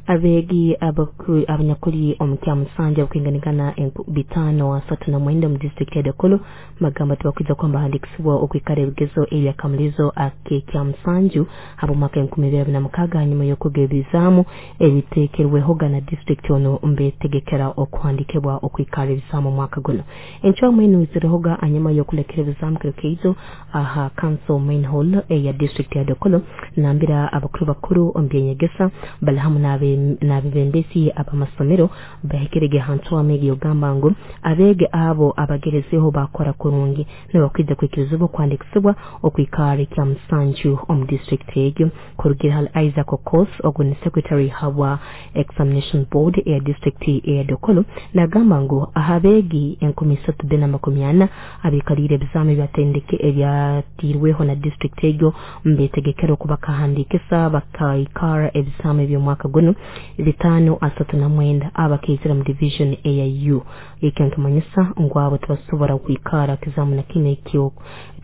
Abeegi abanyakuli omu Kyamusanja okwinganingana 539 omu disitulikiti ya Dokolo bagamba tibakwija kuba mbahandikisibwa okwikara ebigezo ebyakamulizo ak'ekyamusanju habw'omwaka 2026 hanyuma y'okuga ebizaamu ebiteekerwehoga na disitulikiti onu mbetegekera okuhandikibwa okwikara ebizaamu omwaka guno. Encwamu enu izirehoga hanyuma y'okulekera ebizaamu kiro keijo aha Council Main Hall eya disitulikiti ya Dokolo nambira abakuru bakuru omu byenyegesa bali hamu n'abebembezi ab'amasomero bahikirege ha ncwamu egi ogamba ngu abeegi abo abagerezeho bakora kurungi nibakwija kwikirizibwa okuhandikisibwa okwikara ekyamusanju omu disitulikiti egyo. Kurugira hali Isaac Okos, ogu ni secretary habwa examination board eya disitulikiti eya Dokolo, nagamba ngu ahabeegi 3440 abikaliire ebizaamu ebyatiirweho na disitulikiti egyo mbetegekera okubakahandikisa bakaikara ebizaamu eby'omwaka guno 539 abakeizira mu division eya U. Ekyo nkimanyisa ngu abo tibasobora kwikara kizaamu na kinu ekyo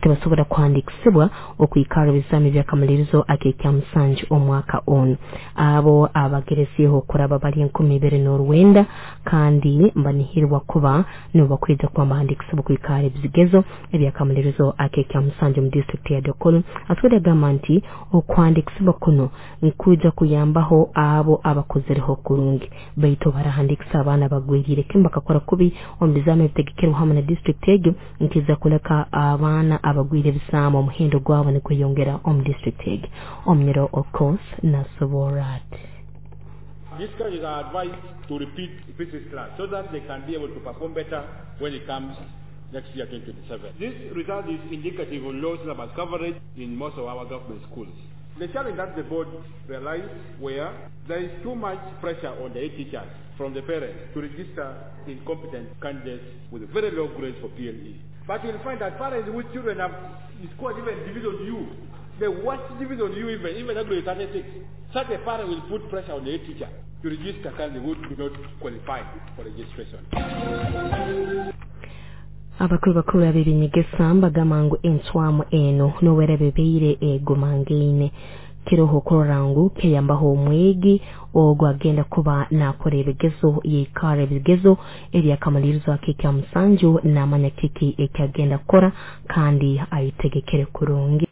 tibasobora kuhandikisibwa okwikara ebizaamu ebyakamalirizo ak'ekyamusanju omwaka onu. Abo abagerezeeho okuraba bali 2009 kandi mbanihirwa kuba nibo bakwija kuba mbahandikisibwa okwikara ebigezo ebyakamalirizo ak'ekyamusanju omu disitulikiti ya Dokolo. Atwire agamba nti okuhandikisibwa kuno nkwija kuyambaho abo abakozereho kurungi, baitu barahandikisa abaana bagweriire kimu bakakora kubi omu bizaamu ebitegekerwe hamu na disitulikiti egyo nkiza kuleka abaana abagwire ebizaamu omuhendo gwabo nigweyongera omu disitulikiti egyo. Omunyoro Okos nasoborra ati. These candidates are advised to repeat physics class so that they can be able to perform better when it comes next year, 2027. This result is indicative of low syllabus coverage in most of our government schools. The challenge that the board realized were there is too much pressure on the teachers from the parents to register incompetent candidates with very low grades for PLE. But you'll find that parents whose children have scored even Division U, the worst Division U even up to 36, such a parent will put pressure on the teacher to register candidates who do not qualify for registration. Abakuru bakuru ab'ebinyegesa mbagamba ngu encwamu eno nowera bebeire egomangaine kiroho kurora ngu keyambaho omwegi ogwo agenda kuba nakora ebigezo yeikara ebigezo ebyakamalirizo ak'ekyamusanju namanya kiki ekyagenda kukora kandi ayitegekere kurungi.